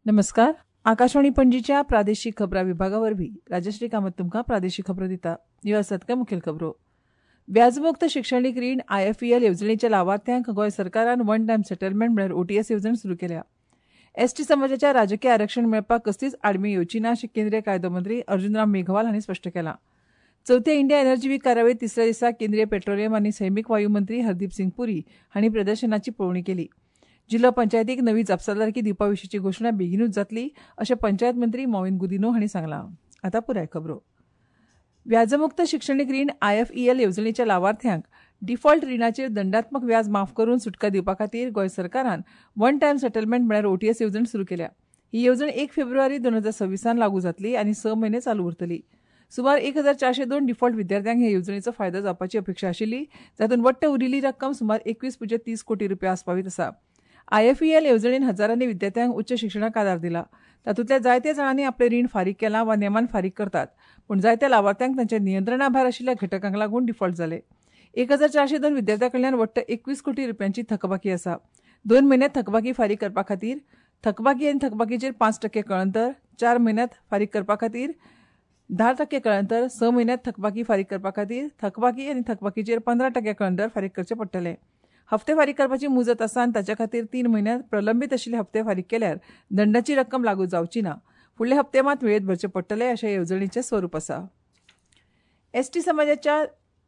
नमस्कार. आकाशवाणी पणजीच्या प्रादेशिक खबरां विभागा वरवीं राजश्री कामत तुमकां प्रादेशिक खबरो दिता. ह्यो आसात कांय मुखेल खबरो. व्याजमुक्त शिक्षणीक रीण आयएफईएल येवजणेच्या लावार्थ्यांक गोंय सरकारान वन टायम सेटलमेंट म्हळ्यार ओटीएस येवजण सुरू केल्या. एसटी समाजाच्या राजकीय आरक्षण मेळपाक कसलीच आडमेळी येवची ना अशें केंद्रीय कायदो मंत्री अर्जुनराम मेघवाल हांणी स्पश्ट केलां. चवथ्या इंडिया एनर्जी वीक कार्यावळीत तिसऱ्या दिसा केंद्रीय पेट्रोलियम आनी सैमीक वायू मंत्री हरदीप सिंग पुरी हांणी प्रदर्शनाची पळोवणी केली. जिल्लो पंचायतीक नवी जापसालदारकी दिवपा विशींची घोशणा बेगिनूच जातली अशें पंचायत मंत्री मॉविन गुदिन्हो हांणी सांगलां. आतां पुराय खबरो. व्याजमुक्त शिक्षणीक रीण आयएफईएल येवजणेच्या लावार्थ्यांक डिफॉल्ट रिणाचेर दंडात्मक व्याज माफ करून सुटका दिवपा खातीर गोंय सरकारान वन टायम सेटलमेंट म्हळ्यार ओटीएस येवजण सुरू केल्या. ही येवजण 1 फेब्रुवारी 2026 लागू जातली आनी 6 म्हयने चालू उरतली. सुमार 1402 डिफॉल्ट विद्यार्थ्यांक हे येवजणेचो फायदो जावपाची अपेक्षा आशिल्ली, जातूंत वट्ट उरिल्ली रक्कम सुमार 21.30 कोटी रुपया आस्पावीत आसा. आयएफईएल येवजणेन हजारांनी विद्यार्थ्यांक उच्च शिक्षणाक आदार दिला. तातूंतल्या जायत्या जाणांनी आपलें रीण फारीक केलां वा नेमान फारीक करतात, पूण जायत्या लावार्थ्यांक तांच्या नियंत्रणा भायर आशिल्ल्या घटकांक लागून डिफॉल्ट जाले. 1402 विद्यार्थ्यां कडल्यान वट्ट 21 कोटी रुपयांची थकबाकी आसा. 2 म्हयन्यांत थकबाकी फारीक करपा खातीर थकबाकी आनी थकबाकीचेर 5% कळंतर, 4 म्हयन्यांत फारीक करपा खातीर 10% कळंतर, 6 म्हयन्यांत थकबाकी फारीक करपा खातीर थकबाकी आनी थकबाकीचेर 15% कळंतर फारीक करचें पडटलें. हप्ते फारीक करपाची मुजत आसा आनी ताच्या खातीर 3 म्हयन्यांत प्रलंबीत आशिल्ले हप्ते फारीक केल्यार दंडाची रक्कम लागू जावची ना. फुडले हप्ते मात वेळेत भरचे पडटले अशें येवजणेचें स्वरूप आसा. एसटी समाजाच्या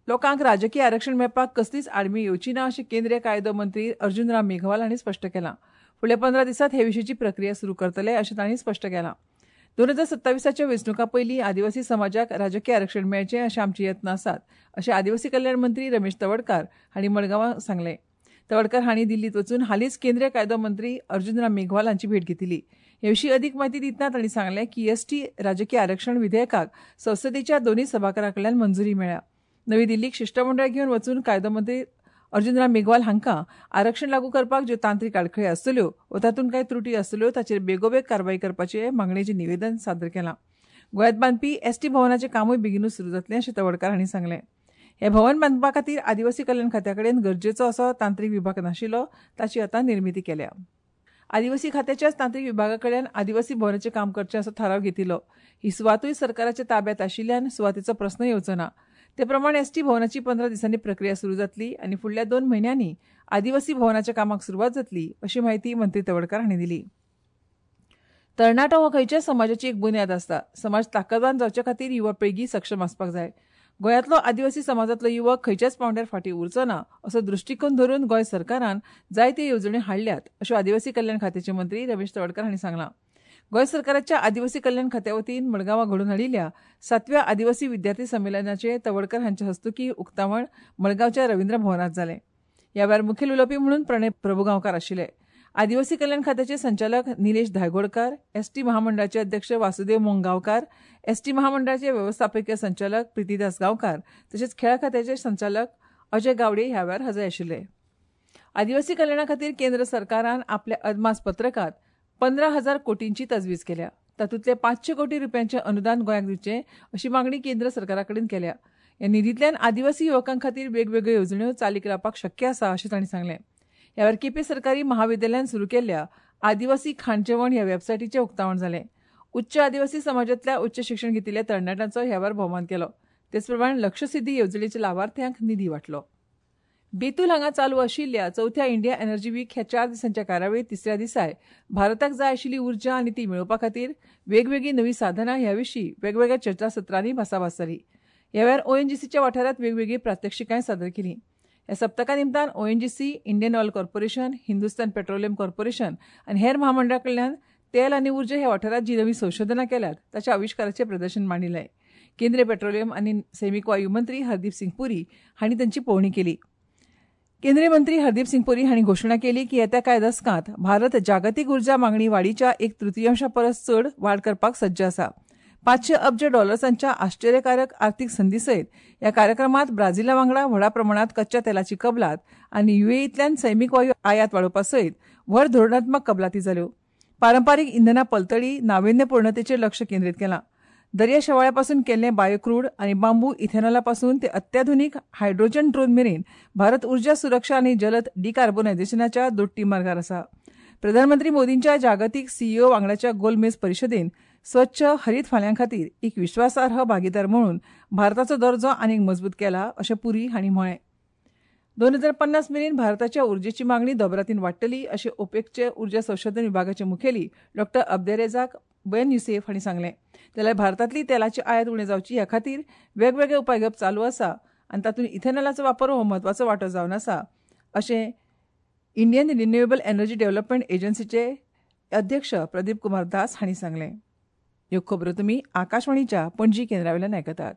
लोकांक राजकीय आरक्षण मेळपाक कसलीच आडमेळी येवची ना अशें केंद्रीय कायदो मंत्री अर्जुनराम मेघवाल हांणी स्पश्ट केलां. फुडल्या 15 दिसांत हे विशींची प्रक्रिया सुरू करतले अशें तांणी स्पश्ट केलां. 2027च्या वेंचणुकां पयलीं आदिवासी समाजाक राजकीय आरक्षण मेळचें अशे आमचे यत्न आसात अशें आदिवासी कल्याण मंत्री रमेश तवडकार हांणी मडगांवां सांगलें. तवडकर हांणी दिल्लीत वचून हालींच केंद्रीय कायदो मंत्री अर्जुनराम मेघवाल हांची भेट घेतली. हे विशीं अदीक म्हायती दितना तांणी सांगलें की एसटी राजकीय आरक्षण विधेयकाक संसदेच्या दोनूय सभाघरां कडल्यान मंजुरी मेळ्ळ्या. नवी दिल्लीक शिश्टमंडळ घेवन वचून कायदो मंत्री अर्जुनराम मेघवाल हांकां आरक्षण लागू करपाक ज्यो तांत्रीक आडखळी आसतल्यो वा तातूंत कांय त्रुटी आसतल्यो ताचेर बेगोबेग कारवाय करपाचे मागणेचें निवेदन सादर केलां. गोंयांत बांदपी एसटी भवनाचें कामूय बेगिनूच सुरू जातलें अशें तवडकार हांणी सांगलें. हें भवन बांदपा खातीर आदिवासी कल्याण खात्या कडेन गरजेचो असो तांत्रीक विभाग नाशिल्लो, ताची आतां निर्मिती केल्या. आदिवासी खात्याच्याच तांत्रीक विभागा कडल्यान आदिवासी भवनाचें काम करचें असो थाराव घेतिल्लो. ही सुवातूय सरकाराच्या ताब्यांत आशिल्ल्यान सुवातेचो प्रस्न येवचो ना. ते प्रमाण एसटी भवनाची 15 दिसांनी प्रक्रिया सुरू जातली आनी फुडल्या 2 म्हयन्यांनी आदिवासी भवनाच्या कामाक सुरवात जातली अशी म्हायती मंत्री तवडकार हांणी दिली. तरणाटो हो खंयच्याय समाजाची एक बुन्याद आसता. समाज ताकदवान जावचे खातीर युवा पिळगी सक्षम आसपाक जाय. गोंयांतलो आदिवासी समाजांतलो युवक खंयच्याच पांवड्यार फाटीं उरचो ना असो दृश्टीकोन धरून गोंय सरकारान जायत्यो येवजण्यो हाडल्यात अशें आदिवासी कल्याण खात्याचे मंत्री रमेश तवडकार हांणी सांगलां. गोंय सरकाराच्या आदिवासी कल्याण खात्या वतीन मडगांवां घडोवन हाडिल्ल्या 7व्या आदिवासी विद्यार्थी संमेलनाचें तवडकर हांचे हस्तुकीं उक्तावण मडगांवच्या रवींद्र भवनांत जालें. ह्या वेळार मुखेल उलोवपी म्हणून प्रणय प्रभुगांवकार आशिल्ले. आदिवासी कल्याण खात्याचे संचालक निलेश धायगोडकार, एसटी महामंडळाचे अध्यक्ष वासुदेव मोंगांवकार, एसटी महामंडळाचे वेवस्थापकीय संचालक प्रितीदास गांवकार तशेंच खेळां खात्याचे संचालक अजय गावडे ह्या वेळार हजर आशिल्ले. आदिवासी कल्याणा खातीर केंद्र सरकारान आपल्या अदमास पत्रकांत 15,000 कोटींची तजवीज केल्या. तातूंतले 500 कोटी रुपयांचें अनुदान गोंयाक दिवचें अशी मागणी केंद्र सरकारा कडेन केल्या. ह्या निधींतल्यान आदिवासी युवकां खातीर वेगवेगळ्यो येवजण्यो चालीक लावपाक शक्य आसा अशें तांणी सांगलें. ह्या वेळार केपें सरकारी महाविद्यालयान सुरू केल्ल्या आदिवासी खाणजेवण ह्या वेबसायटीचें उक्तावण जालें. उच्च आदिवासी समाजांतल्या उच्च शिक्षण घेतिल्ल्या तरणाट्यांचो ह्या वेळार भोवमान केलो. तेचप्रमाण लक्षसिद्धी येवजणेच्या लावार्थ्यांक निधी वांटलो. बेतूल हांगा चालू आशिल्ल्या चवथ्या इंडिया एनर्जी वीक ह्या 4 दिसांच्या कार्यावळीत तिसऱ्या दिसाय भारताक जाय आशिल्ली उर्जा आनी ती मेळोवपा खातीर वेगवेगळीं नवीं साधनां ह्या विशीं वेगवेगळ्या चर्चासत्रांनी भासाभास जाली. ह्या वेळार ओएनजीसीच्या वाठारांत वेगवेगळीं प्रात्यक्षिकांय सादर केलीं. ह्या सप्तका निमतान ONGC, Indian Oil Corporation, Hindustan Petroleum Corporation आनी हेर महामंडळा कडल्यान तेल आनी उर्जा ह्या वाठारांत जीं नवीं संशोधनां केल्यात ताच्या आविश्काराचें प्रदर्शन मांडिल्लें. केंद्रीय पेट्रोलियम आनी सैमीक वायू मंत्री हरदीप सिंग पुरी हांणी तांची पळोवणी केली. केंद्रीय मंत्री हरदीप सिंग पुरी हांणी घोशणा केली की येत्या कांय दसकांत भारत जागतीक उर्जा मागणी वाडीच्या 1/3 परस चड वाड करपाक सज्ज आसा. 500 अब्ज डॉलर्सांच्या आश्चर्यकारक आर्थिक संदी सयत ह्या कार्यक्रमात ब्राझिला वांगडा व्हडा प्रमाणात कच्च्या तेलाची कबलात आनी युएईतल्यान सैमीक वायू आयात वाडोवपा सयत व्हड धोरणात्मक कबलाती जाल्यो. पारंपारीक इंधना पलतडी नाविन्यपूर्णतेचेर लक्ष केंद्रीत केलां. दर्या शेवाळ्यापासून केल्लें बायोक्रूड आनी बांबू इथेनॉलापासून ते अत्याधुनिक हायड्रोजन ड्रोन मेरेन भारत ऊर्जा सुरक्षा आनी जलद डिकार्बोनायझेशनाच्या दोट्टी मार्गार आसा. प्रधानमंत्री मोदींच्या जागतीक सीईओ वांगडाच्या गोलमेज परिशदेन स्वच्छ हरीत फाल्यां खातीर एक विश्वासार्ह भागीदार म्हणून भारताचो दर्जो आनीक मजबूत केला अशें पुरी हांणी म्हळें. 2050 मेरेन भारताच्या उर्जेची मागणी दोबरातीन वाडटली अशें ओपेकचे उर्जा संशोधन विभागाचे मुखेली डॉ अब्देरेजाक बेन युसेफ हांणी सांगलें. जाल्यार भारतांतली तेलाची आयात उणें जावची ह्या खातीर वेगवेगळे उपाय घेवप चालू आसा आनी तातूंत इथेनॉलाचो वापर हो म्हत्वाचो वांटो जावन आसा अशें इंडियन रिन्युएबल एनर्जी डेव्हलपमेंट एजन्सीचे अध्यक्ष प्रदीप कुमार दास हांणी सांगलें. ह्यो खबरो तुमी आकाशवाणीच्या पणजी केंद्रावेल्यान आयकतात.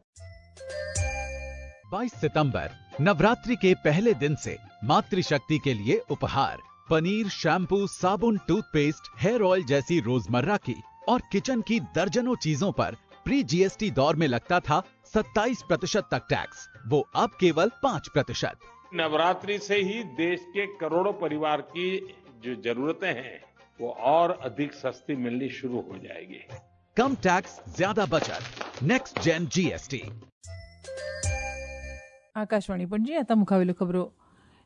22 सितंबर नवरात्रि के पहले दिन से मातृशक्ति के लिए उपहार पनीर, शैम्पू, साबुन, टूथपेस्ट, हेयर ऑयल जैसी रोजमर्रा की और किचन की दर्जनों चीजों पर प्री जीएसटी दौर में लगता था 27% तक टैक्स, वो अब केवल 5%। नवरात्रि से ही देश के करोड़ों परिवार की जो जरूरतें हैं वो और अधिक सस्ती मिलनी शुरू हो जाएगी। कम टैक्स, ज्यादा बचत। Next gen GST. Akashvani Panaji. आतां मुखावेल्यो खबरो.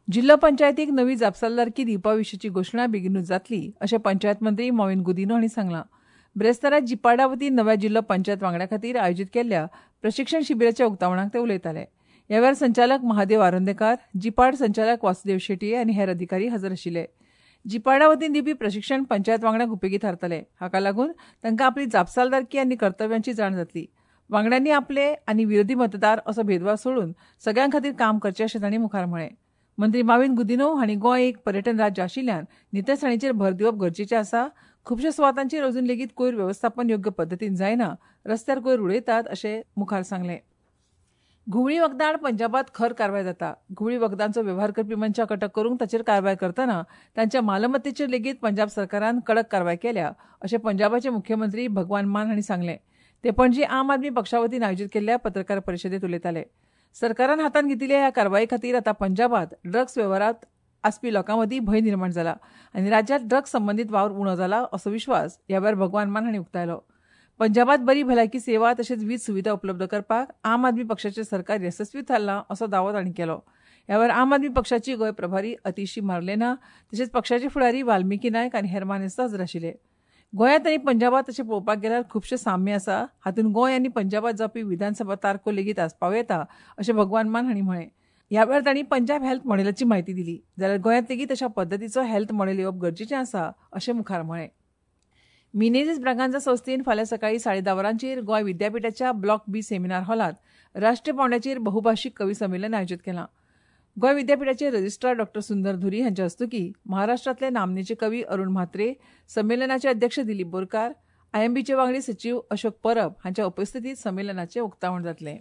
जिल्लो पंचायतीक नवी जापसालदारकी दिवपा विशींची घोशणा बेगिनूच जातली अशें पंचायत मंत्री मॉविन गुदिन्हो हांणी सांगलां. ब्रेस्तारा जिपाडा वतीन नव्या जिल्लो पंचायत वांगड्या खातीर आयोजीत केल्ल्या प्रशिक्षण शिबिराच्या उक्तावणाक ते उलयताले. ह्या वेळार संचालक महादेव आरोंदेकार, जिपाड संचालक वासुदेव शेटये आनी हेर अधिकारी हजर आशिल्ले. जिपाडा वतीन दिवपी प्रशिक्षण पंचायत वांगड्यांक उपेगी थारतले. हाका लागून तांकां आपली जापसालदारकी आनी कर्तव्यांची जाण जातली. वांगड्यांनी आपले आनी विरोधी मतदार असो भेदभाव सोडून सगळ्यां खातीर काम करचें अशें तांणी मुखार म्हळें. मंत्री माविन गुदिन्हो हांणी गोंय एक पर्यटन राज्य आशिल्ल्यान नितळसाणीचेर भर दिवप गरजेचें आसा. खुबश्या सुवातांचेर अजून लेगीत कोयर वेवस्थापन योग्य पद्दतीन जायना, रस्त्यार कोयर उडयतात अशें मुखार सांगलें. घुंवळी वखदां आड पंजाबात खर कारवाय जाता. घुंवळी वखदांचो वेव्हार करपी मनशाक अटक करूंक ताचेर कारवाय करतना तांच्या मालमत्तेचेर लेगीत पंजाब सरकारान कडक कारवाय केल्या अशें पंजाबाचे मुख्यमंत्री भगवान मान हांणी सांगलें. ते पणजी आम आदमी पक्षा वतीन आयोजीत केल्ल्या पत्रकार परिशदेंत उलयताले. सरकारान हातांत घेतिल्ल्या ह्या कारवाये खातीर आतां पंजाबात ड्रग्स वेव्हारांत आसपी लोकां मदीं भंय निर्माण जाला आनी राज्यांत ड्रग्स संबंदीत वावर उणो जाला असो विश्वास ह्या वेळार भगवान मान हांणी उक्तायलो. पंजाबात बरी भलायकी सेवा तशेंच वीज सुविधा उपलब्ध करपाक आम आदमी पक्षाचें सरकार येसस्वी थारलां असो दावो तांणी केलो. ह्या वेळार आम आदमी पक्षाची गोंय प्रभारी अतिशी मार्लेना तशेंच पक्षाचे फुडारी वाल्मिकी नायक आनी हेर मानेस्त हजर आशिल्ले. गोंयांत आनी पंजाबात तशें पळोवपाक गेल्यार खुबशें साम्य आसा. हातूंत गोंय आनी पंजाबात जावपी विधानसभा तारखो लेगीत आसपाव येता अशें भगवान मान हांणी म्हळें. ह्या वेळार तांणी पंजाब हेल्थ मॉडेलाची म्हायती दिली. जाल्यार गोंयांत लेगीत अशा पद्दतीचो हेल्थ मॉडेल येवप गरजेचें आसा अशें मुखार म्हळें. मिनेझीस ब्रागांझा संस्थेन फाल्यां सकाळीं 10:30 वरांचेर गोंय विद्यापिठाच्या ब्लॉक बी सेमिनार हॉलांत राष्ट्रीय पांवड्याचेर बहुभाशीक कवी संमेलन आयोजीत केलां. गोंय विद्यापिठाचे रजिस्ट्रार डॉ सुंदर धुरी हांच्या हस्तुकीं महाराष्ट्रांतले नामनेचे कवी अरुण म्हात्रे, संमेलनाचे अध्यक्ष दिलीप बोरकार, आयएमबीचे वांगडी सचीव अशोक परब हांच्या उपस्थितीत संमेलनाचें उक्तावण जातलें.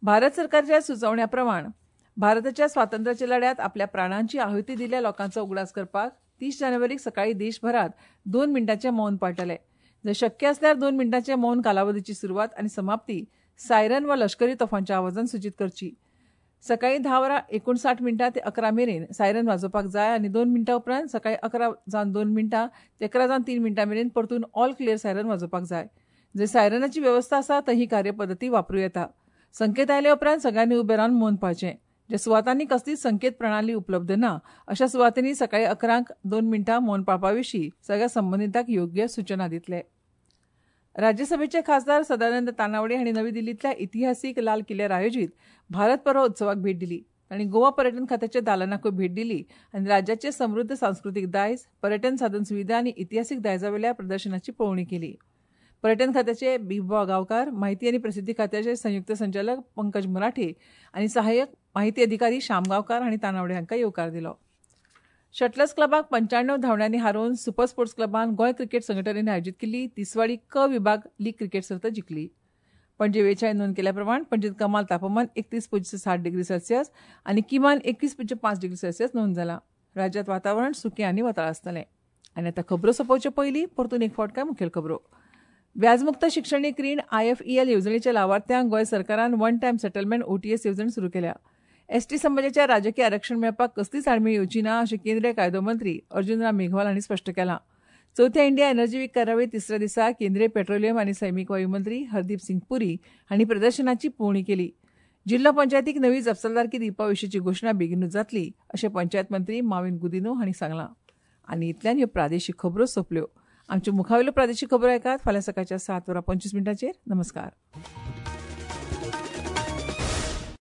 भारत सरकारच्या सुचोवण्या प्रमाण भारताच्या स्वातंत्र्याच्या लढ्यांत आपल्या प्राणांची आहुती दिल्ल्या लोकांचो उगडास करपाक 30 जानेवारीक सकाळीं देशभरात 2 मिनटांचें मौन पाळटले. जर शक्य आसल्यार 2 मिनटांचे मौन कालावधीची सुरवात आनी समाप्ती सायरन वा लष्करी तोफांच्या आवाजान सूचित करची. सकाळीं 10:59 ते 11 मेरेन सायरन वाजोवपाक जाय आनी 2 मिनटां उपरांत सकाळीं 11:02 ते 11:03 मेरेन परतून ऑल क्लियर सायरन वाजोवपाक जाय. जंय सायरनाची वेवस्था आसा थंय ही कार्यपद्दती वापरूं येता. संकेत आयले उपरांत सगळ्यांनी उबे रावन मौन पाळचें. ज्या सुवातांनी कसलीच संकेत प्रणाली उपलब्ध ना अशा सुवातांनी सकाळीं 11:02 मौन पाळपा विशीं सगळ्या संबंदितांक योग्य सूचना दितले. राज्यसभेचे खासदार सदानंद तानावडे हांणी नवी दिल्लींतल्या इतिहासीक लाल किल्ल्यार आयोजीत भारत पर्व उत्सवाक भेट दिली. तांणी गोवा पर्यटन खात्याच्या दालनाकूय भेट दिली आनी राज्याचे समृद्ध सांस्कृतीक दायज, पर्यटन साधन सुविधा आनी इतिहासीक दायजावेल्या प्रदर्शनाची पळोवणी केली. पर्यटन खात्याचे बिबा गांवकार, माहिती आनी प्रसिद्धी खात्याचे संयुक्त संचालक पंकज मराठे आनी सहाय्यक माहिती अधिकारी श्याम गांवकार हांणी तानावडे हांकां येवकार दिलो. शटलर्स क्लबाक 95 धांवड्यांनी हारोवन सुपर स्पोर्ट्स क्लबान गोंय क्रिकेट संघटनेन आयोजीत केल्ली तिसवाडी क विभाग लीग क्रिकेट सर्त जिखली. पणजे वेळान नोंद केल्या प्रमाण पणजेंत कमाल तापमान 31.7 डिग्री सेल्सियस आनी किमान 21.5 डिग्री सेल्सियस नोंद जाला. राज्यांत वातावरण सुकें आनी वताळ आसतलें. आनी आतां खबरो सोंपोवचे पयलीं परतून एक फावट काय मुखेल खबरो. व्याजमुक्त शिक्षणीक रीण आयएफईएल येवजणेच्या लावार्थ्यांक गोंय सरकारान वन टायम सेटलमेंट ओटीएस येवजण सुरू केल्या. एसटी समाजाच्या राजकीय आरक्षण मेळपाक कसलीच आडमेळी येवची ना अशें केंद्रीय कायदो मंत्री अर्जुन राम मेघवाल हांणी स्पश्ट केलां. चवथ्या इंडिया एनर्जी वीक कार्यावळी तिसऱ्या दिसा केंद्रीय पेट्रोलियम आनी सैमीक वायू मंत्री हरदीप सिंग पुरी हांणी प्रदर्शनाची पळोवणी केली. जिल्लो पंचायतीक नवी जापसालदारकी दिवपा विशींची घोशणा बेगीनूच जातली अशें पंचायत मंत्री माविन गुदिन्हो हांणी सांगलां. आनी इतल्यान ह्यो प्रादेशीक खबरो सोंपल्यो. आमच्यो मुखावेल्यो प्रादेशीक खबरो आयकात फाल्यां सकाळच्या 7:25. नमस्कार.